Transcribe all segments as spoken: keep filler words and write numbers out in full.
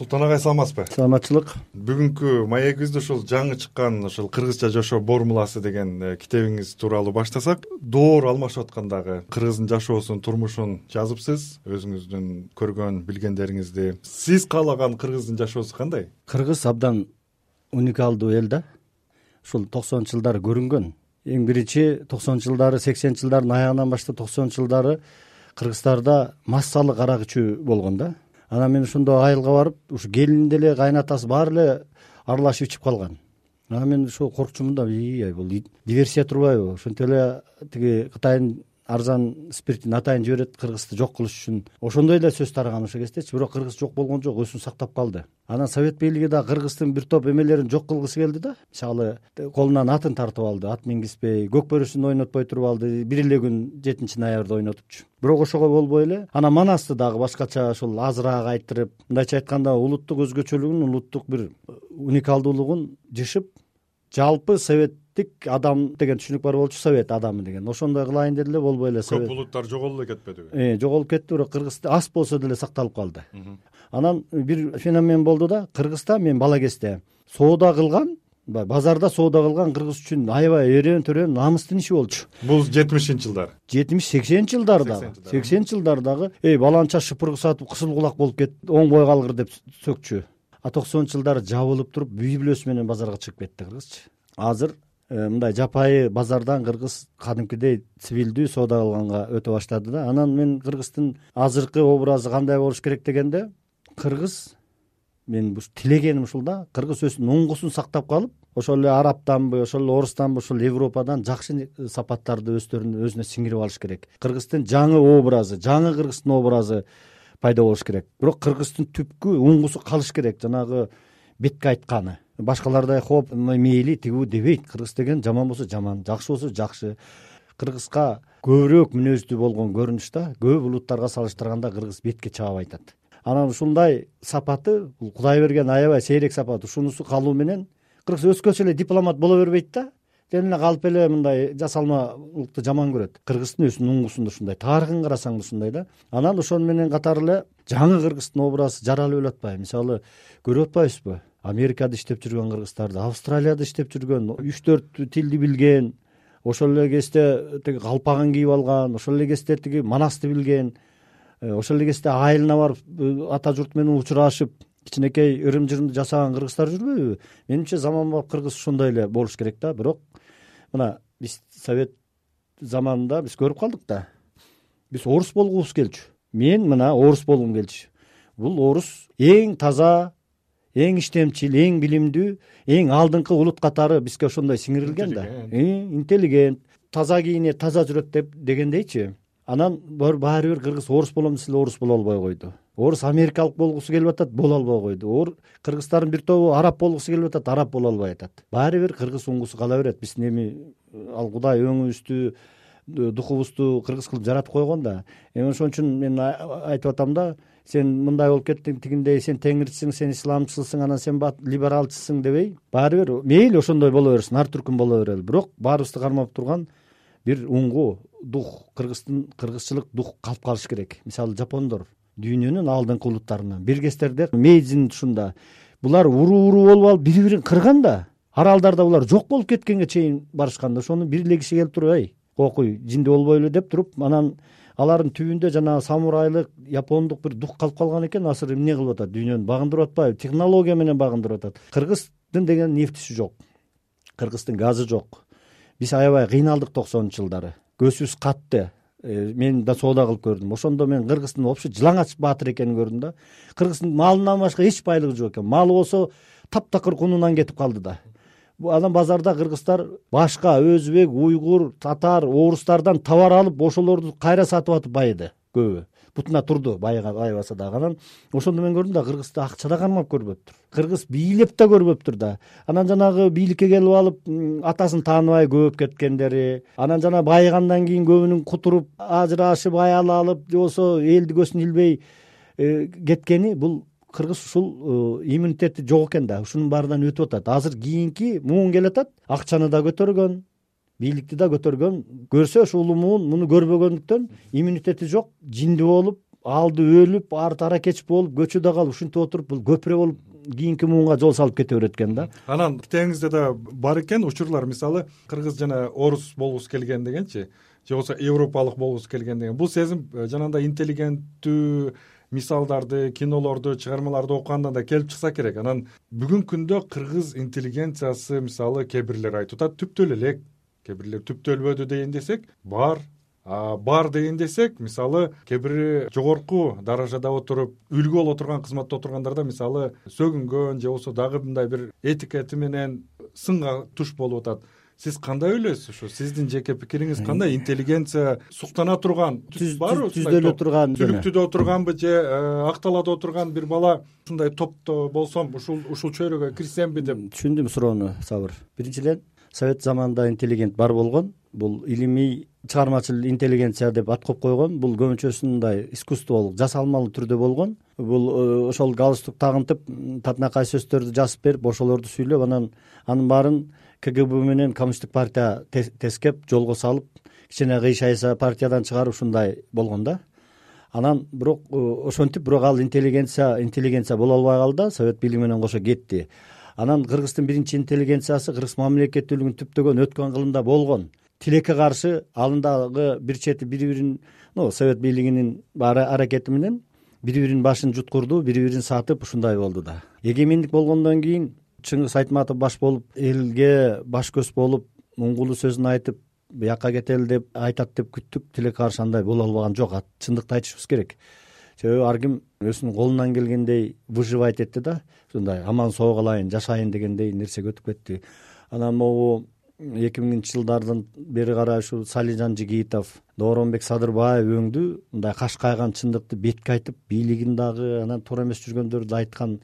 Султан агай саламатсызбы? Саламатчылык. Бүгүнкү маегибизди ушул жаңы чыккан ушул кыргызча жашоо формуласы деген китебиңиз тууралуу баштасак. Доор алмашып аткандагы кыргыздын жашоосун, турмушун жазыпсыз, өзүңүздүн көргөн, билгендериңизди. Сиз каалаган кыргыздын жашоосу кандай? Кыргыз абдан уникалдуу эл да. Ушул токсонунчу жылдары көрүнгөн. Эң биринчи токсонунчу жылдары, сексенинчи жылдардын аягынан баштап токсонунчу жылдары Кыргыздарда массалык арак ичүү болгон да. Анан мен ошондо айылга барып, ушу келин деле, кайнатасы баары эле аралашып ичип калган. Анан мен ошо коркчумун да, ий, бул диверсия турбайбы? Ошентип эле тиги Кытайдын арзан спиртин атайын жиберет кыргызды жок кылыш үчүн. Ошондой эле сөз тараган ошол кездечи, бирок кыргыз жок болгон жок, өзүн сактап калды. Анан совет бийлиги да кыргыздын бир топ эмелерин жок кылгысы келди да. Мисалы, колунан атын тартып алды, ат мингизбей, көк бөрүсүн ойнотпой туруп алды, бир эле күн жетинчи ноябрда ойнотупчу. Бирок ошого болбой эле анан манасты дагы башкача ошол азыраак айтырып, мындайча айтканда улуттук өзгөчөлүгүн, улуттук бир уникалдуулугун жышып, жалпы советтик адам деген түшүнүк бар болчу, совет адамы деген. Ошондой кылайын деди эле, болбой эле. Көп улуттар жоголуп эле кетпедиби? Э, жоголуп кетти, бирок кыргыз аз болсо деле сакталып калды. Анан бир феномен болду да, Кыргызда мен бала кезде соода кылган, базарда соода кылган кыргыз үчүн аябай эрен төрөн намыстын иши болчу. Бул жетимишинчи жылдар. жетимиш сексенинчи жылдардагы. сексенинчи жылдардагы эй баланча шыпыргы сатып кысыл кулак болуп кетти, оңбой калгыр деп сөкчү. А токсонунчу жылдары жабылып туруп, үй бүлөсү менен базарга чыгып кетти кыргызчы. Азыр мындай жапайы базардан кыргыз кадимкидей цивилдүү соода кылганга өтө баштады да. Анан мен кыргыздын азыркы образы кандай болуш керек дегенде, кыргыз, мен тилегеним ушул да, кыргыз өзүнүн оңгусун сактап калып, ошол эле арабтанбы, ошол эле орустанбы, ошол Европадан жакшы сапаттарды өздөрүнүн өзүнө сиңирип алыш керек. Кыргыздын жаңы образы, жаңы кыргыздын образы пайда болуш керек. Бирок кыргыздын түпкү оңгусу калыш керек, жанагы бетке айтканы. Башкалардай хоп, мейли тигүү дебейт. Кыргыз деген жаман болсо жаман, жакшы болсо жакшы. Кыргызга көбүрөөк мүнөздүү болгон көрүнүштө көп улуттарга салыштырганда кыргыз бетке чаап айтат. Анан ушундай сапаты, бул Кудай берген аябай сейрек сапат. Ушунусу калуу менен кыргыз өскөчө эле дипломат боло бербейт да. Жөн эле калып эле мындай жасалмалыкты жаман көрөт. Кыргыздын өзүнүн оңгусунда ушундай, тарыхын карасаң ушундай да. Анан ошону менен катары эле жаңы кыргыздын образы жаралып эле атпайбы? Мисалы, көрүп атпайбызбы? Америкада иштеп жүргөн кыргыздарды, Австралияда иштеп жүргөн, үч төрт тилди билген, ошол эле кезде тиги калпагын кийип алган, ошол эле кезде тиги манасты билген, ошол эле кезде айылына барып ата журт менен учурашып, кичинекей ырым-жырымды жасаган кыргыздар жүрбөйбү? Менимче заманбап кыргыз ошондой эле болуш керек да. Бирок мына биз совет заманында биз көрүп калдык да. Биз орус болгубуз келчү. Мен мына орус болгум келчү. Бул орус эң таза, эң иштемчил, эң билимдүү, эң алдыңкы улут катары бизге ошондой сиңирилген да. Интеллигент, таза кийинет, таза жүрөт деп дегендейчи. Анан баары бир кыргыз орус болом десе орус боло албай койду. Орус америкалык болгусу келип атат, боло албай койду. Ор кыргыздардын бир тобу араб болгусу келип атат, араб боло албай атат. Баары бир кыргыз оңгусу кала берет. Биздин эми ал Кудай өңүбүздү, духубузду кыргыз кылып жаратып койгон да. Эми ошон үчүн мен айтып атам да, сен мындай болуп кеттиң, тигиндей, сен теңирчисиң, сен исламчысың, анан сен либералчысың дебей, баары бир мейли ошондой боло берсин, ар түркүн боло берели. Бирок баарыбызды кармап турган бир уңгу, дух, кыргыздын кыргызчылык дух калып калыш керек. Мисалы, жапондор дүйнөнүн алдыңкы улуттарынан, биргестерде Мейдзин тушунда булар уруу-уруу болуп алып бири-бирин кырган да. Аралдарда булар жок болуп кеткенге чейин барышканда, ошону бирлегиши келип туруп, ай, кокуй, жинди болбойлу деп туруп, анан алардын түбүндө жана самурайлык, япондук бир дух калып калган экен. Азыр эмне кылып атат? Дүйнөнү багындырып атпайбы? Технология менен багындырып атат. Кыргыздын деген нефтиси жок. Кыргыздын газы жок. Биз аябай кыйналдык токсонунчу жылдары. Көзүбүз катты. Мен да соода кылып көрдүм. Ошондо мен кыргыздын вообще жылаңач баатыр экенин көрдүм да. Кыргыздын малынан башка эч байлыгы жок экен. Малы болсо таптакыр кунунан кетип калды да. Анан базарда кыргыздар башка өзбек, уйгур, татар, орустардан товар алып, ошолорду кайра сатып атып байыды көбү. Бутуна турду, байга байбаса дагы. Анан ошондо мен көрдүм да, кыргызды акча да кармап көрбөптүр. Кыргыз бийлеп да көрбөптүр да. Анан жанагы бийликке келип алып, атасын тааныбай көбөп кеткендери, анан жана байыгандан кийин көбүнүн кутуруп, ажырашып, аял алып, же болбосо элди көсүн илбей кеткени, бул кыргыз ушул иммунитети жок экен да. Ушунун баарынан өтүп атат. Азыр кийинки муун келатат, акчаны да көтөргөн, бийликти да көтөргөн, көрсө ушул улуу муун муну көрбөгөндүктөн иммунитети жок, жинди болуп, алды өлүп, арты аракеч болуп, көчөдө калып, ушинтип отуруп бул көпүрө болуп кийинки муунга жол салып кете берет экен да. Анан китебиңизде да бар экен учурлар, мисалы кыргыз жана орус болгусу келген дегенчи, же болбосо европалык болгусу келген деген. Бул сезим жанагындай интеллигенттүү мисалдарды, кинолорду, чыгармаларды окугандан да келип чыкса керек. Анан бүгүнкү күндө кыргыз интеллигенциясы, мисалы кээ бирлер айтып атат түптөлө элек, кээ бирлер түптөлбөдү дейин десек, бар. А бар дейин десек, мисалы кээ бири жогорку даражада отуруп, үлгү боло турган кызматта отургандарда мисалы сөгүнгөн же болбосо дагы мындай бир этикети менен сынга туш болуп атат. Сиз кандай ойлойсуз? Ушу сиздин жеке пикириңиз кандай? Интеллигенция суктана турган, барбы? Түздөлө турган, түлүктүдө отурганбы же акталада отурган бир бала ушундай топто болсом, ушул ушул чөйрөгө кирсемби деп? Түшүндүм суроону, Сабыр. Биринчиден, совет заманында интеллигент бар болгон. Бул илимий чыгармачыл интеллигенция деп ат коюп койгон. Бул көбүнчөсүндай искусстволук, жасалмалуу түрдө болгон. Бул ошол галстук тагынтып, татынакай сөздөрдү жазып берип, ошолорду сүйлөп, анан анын баарын КГБ менен коммунисттик партия тескеп, жолго салып, кичине кыйшайса партиядан чыгарып ушундай болгон да. Анан бирок ошентип, бирок ал интеллигенция, интеллигенция боло албай калды, совет бийлиги менен кошо кетти. Анан Кыргыздын биринчи интеллигенциясы кыргыз мамлекеттүүлүгүн түптөгөн өткөн кылымда болгон. Тилекке каршы алындагы бир чети бири-бирин, ну, совет бийлигинин аракети менен бири-биринин башын жуткурду, бири-бирин сатып ушундай болду да. Эгемендик болгондон кийин Чыңгыз Айтматов баш болуп, элге баш көз болуп, муңгулуу сөзүн айтып, бияка кетели деп айтат деп күттүк. Тилекке каршы андай боло албаган жок. Чындыкты айтышыбыз керек. Себеби ар ким өзүнүн колунан келгендей выживать этти да. Ушундай аман соо калайын, жашайын дегендей нерсеге өтүп кетти. Анан могу эки миңинчи жылдардан бери карай ушу Салижан Жигитов, Дооронбек Садырбаев өңдү мындай каш кайган чындыкты бетке айтып, бийлигин дагы, анан туура эмес жүргөндөрдү айткан.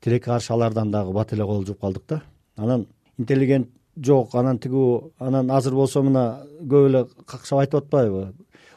Тилекке каршы алардан дагы бат эле кол жууп калдык да. Анан интеллигент жок, анан тигүү, анан азыр болсо мына көп эле какшап айтып атпайбы?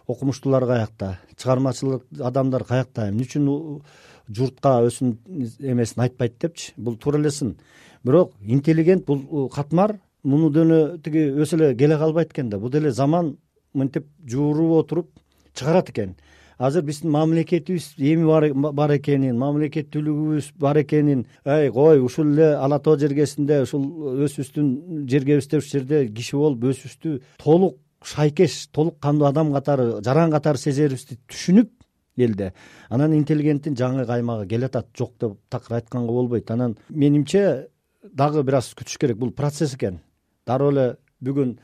Окумуштуулар каякта, чыгармачылык адамдар каякта, эмне үчүн журтка өзүнүн эмесин айтпайт депчи? Бул туура эле сын. Бирок интеллигент бул катмар, муну деле тиги өсө эле келе калбайт экен да. Бул деле заман мынтип жууруп отуруп чыгарат экен. Азыр биздин мамлекетибиз эми бар экенин, мамлекеттүүлүгүбүз бар экенин, ай кой, ушул эле Ала тоо жергесинде, ушул өзүбүздүн жергебизде, ушул жерде киши болуп өзүбүздү толук шайкеш, толук кандуу адам катары, жаран катары сезерибизди түшүнүп элде. Анан интеллигенттин жаңы каймагы келатат, жок деп такыр айтканга болбойт. Анан менимче дагы бир аз күтүш керек. Бул процесс экен. Дароо эле бүгүн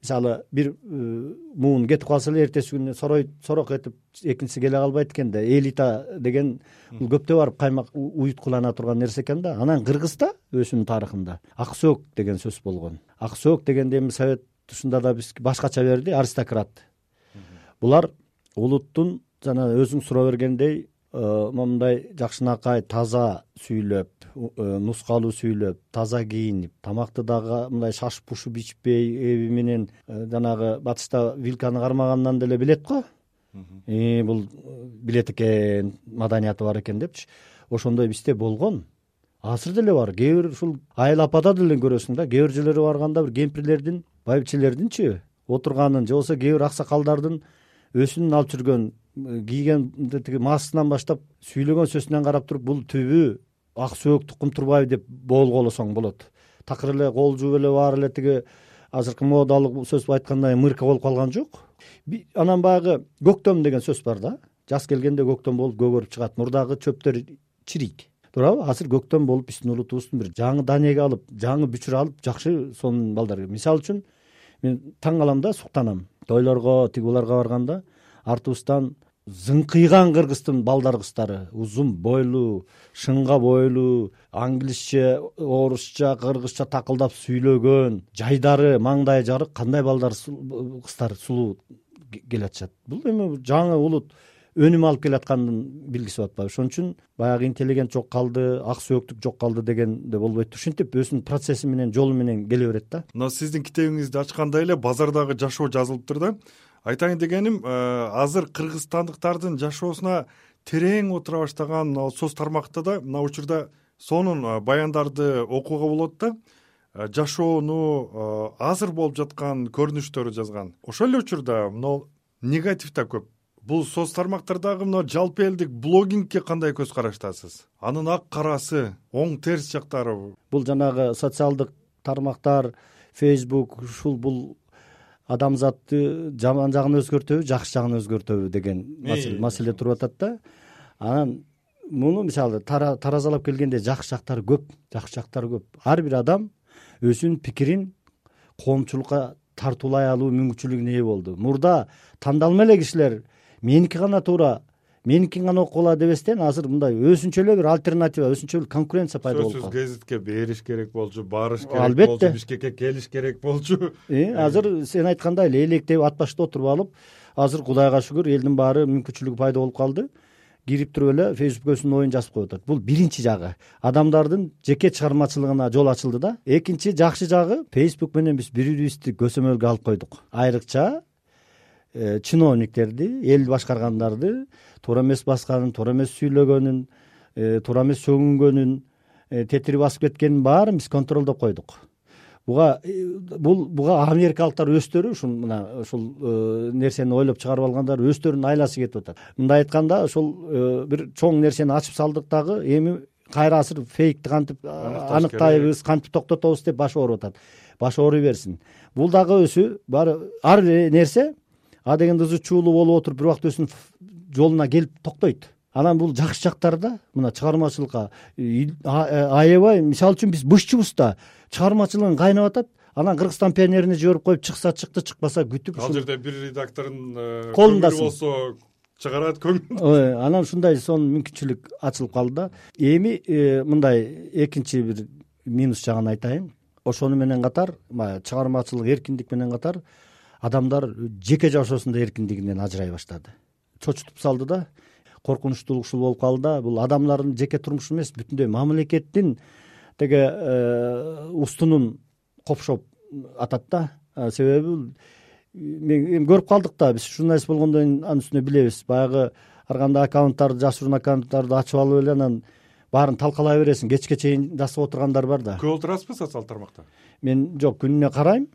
мисалы бир муун кетип калса эле эртеси күнү сорой сорок этип экинчиси келе калбайт экен да. Элита деген бул көптө барып каймак уюткулана турган нерсе экен да. Анан Кыргызда өзүнүн тарыхында ак сөөк деген сөз болгон. Ак сөөк дегенде эми совет тушунда да биз башкача берди, аристократ. Булар улуттун жана өзүң суроо бергендей мындай жакшынакай таза сүйлөп, нускалуу сүйлөп, таза кийинип, тамакты дагы мындай шаш пушуп ичпей, эби менен жанагы батышта вилканы кармагандан деле билет го. И бул билет экен, маданияты бар экен депчи. Ошондой бизде болгон. Азыр деле бар. Кээ бир ушул айыл апада деле көрөсүң да, кээ бир жерлерге барганда бир кемпирлердин, байбичелердинчи отурганын, же болбосо кээ бир аксакалдардын өсүнүн алып жүргөн, кийген тиги маасынан баштап сүйлөгөн сөзүнөн карап туруп, бул түбү ак сөөк Тукум Турбаев деп болгоолосоң болот. Такыр эле кол жууп эле баары эле тиги азыркы модалык сөз айткандай мырка болуп калган жок. Анан баягы көктөм деген сөз бар да. Жаз келгенде көктөм болуп көгөрүп чыгат, мурдагы чөптөр чирийт. Туурабы? Азыр көктөм болуп биздин улутубуздун бир жаңы данеге алып, жаңы бүчүр алып, жакшы сонун балдар. Мисалы үчүн мен таң калам да, суктанам. Тойлорго, тигуларга барганда артыбыздан зыңкыйган кыргыздын балдар кыздары, узун бойлуу, шыңга бойлуу, англисче, орусча, кыргызча такылдап сүйлөгөн, жайдары, маңдайы жарык кандай балдар кыздар сулуу келатышат. Бул эми жаңы улут өнүм алып келаткандын билгиси болуп атпайбы? Ошон үчүн баягы интеллигент жок калды, ак сөөктүк жок калды дегенде болбойт. Ушинтип өзүнүн процесси менен, жолу менен келе берет да. Мына сиздин китебиңизди ачканда эле базардагы жашоо жазылыптыр да. Айтайын дегеним, азыр кыргызстандыктардын жашоосуна терең отура баштаган соц тармакта да мына учурда сонун баяндарды окууга болот да. Жашоону азыр болуп жаткан көрүнүштөрү жазган. Ошол эле учурда мына негатив да көп Бул соц тармактардагы мына жалпы элдик блогингке кандай көз караштасыз? Анын ак карасы, оң терс жактары? Бул жанагы социалдык тармактар, Facebook, ушул бул адамзатты жаман жагын өзгөртөбү, жакшы жагын өзгөртөбү деген маселе туруп атат да. Анан муну мисалы таразалап келгенде жакшы жактары көп, жакшы жактары көп. Ар бир адам өзүнүн пикирин коомчулукка тартуулай алуу мүмкүнчүлүгүнө ээ болду. Мурда тандалма эле кишилер меники гана туура, меникин гана окула дебестен азыр мындай өзүнчө эле бир альтернатива, өзүнчө эле конкуренция пайда болуп калды. Сөзсүз гезитке бериш керек болчу, барыш керек болчу, Бишкекке келиш керек болчу. Азыр сен айткандай эле электеп ат башта отуруп алып, азыр Кудайга шүгүр элдин баары мүмкүнчүлүгү пайда болуп калды. Кирип туруп эле Facebook өзүнүн оюн жазып коюп атат. Бул биринчи жагы. Адамдардын жеке чыгармачылыгына жол ачылды да. Экинчи жакшы жагы, Facebook менен биз бири бирибизди көсөмөлгө алып койдук. Айрыкча чиновниктерди, эл башкаргандарды туура эмес басканын, туура эмес сүйлөгөнүн, туура эмес сөгүнгөнүн, тетири басып кеткенин баарын биз контролдоп койдук. Буга бул буга америкалыктар өздөрү ушул мына ушул нерсени ойлоп чыгарып алгандар өздөрүнүн айласы кетип атат. Мындай айтканда ошол бир чоң нерсени ачып салдык дагы эми кайра азыр фейкти кантип аныктайбыз, кантип токтотобуз деп башы ооруп атат. Башы ооруй берсин. Бул дагы өзү баары ар бир нерсе а дегенде ызы чуулуу болуп отуруп бир убакта өзүнүн жолуна келип токтойт. Анан бул жакшы жактары да мына чыгармачылыкка аябай, мисалы үчүн биз бышчыбыз да чыгармачылыгын кайнап атат. Анан Кыргызстан пионерине жиберип коюп, чыкса чыкты, чыкпаса күтүп. Ал жерде бир редактордун колунда болсо чыгарат көңүл. Анан ушундай сонун мүмкүнчүлүк ачылып калды да. Эми мындай экинчи бир минус жагын айтайын. Ошону менен катар, чыгармачылык эркиндик менен катар адамдар жеке жашоосунда эркиндигинен ажырай баштады. Чочутуп салды да. Коркунучтуулук ушул болуп калды да. Бул адамдардын жеке турмушу эмес, бүтүндөй мамлекеттин теге устунун копшоп атат да. Себеби мен көрүп калдык да, биз журналист болгондон кийин анын үстүнө билебиз. Баягы ар кандай аккаунттарды, жашыруун аккаунттарды ачып алып эле анан баарын талкалай бересиң. Кечке чейин жасап отургандар бар да. Көп отурасызбы социалдык тармакта? Мен жок, күнүнө карайм.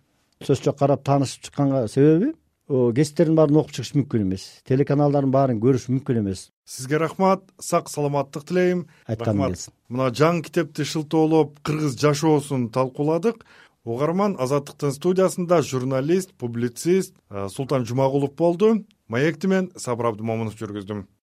Сөз жок, карап таанышып чыкканга себеби гезиттердин баарын окуп чыгыш мүмкүн эмес. Телеканалдардын баарын көрүш мүмкүн эмес. Сизге рахмат, сак саламаттык тилейм. Рахмат. Мына жаңы китепти шылтоолоп, кыргыз жашоосун талкууладык. Угарман Азаттыктын студиясында журналист, публицист Султан Жумагулов болду. Маекти мен Сабыр Абдымомунов жүргүздүм.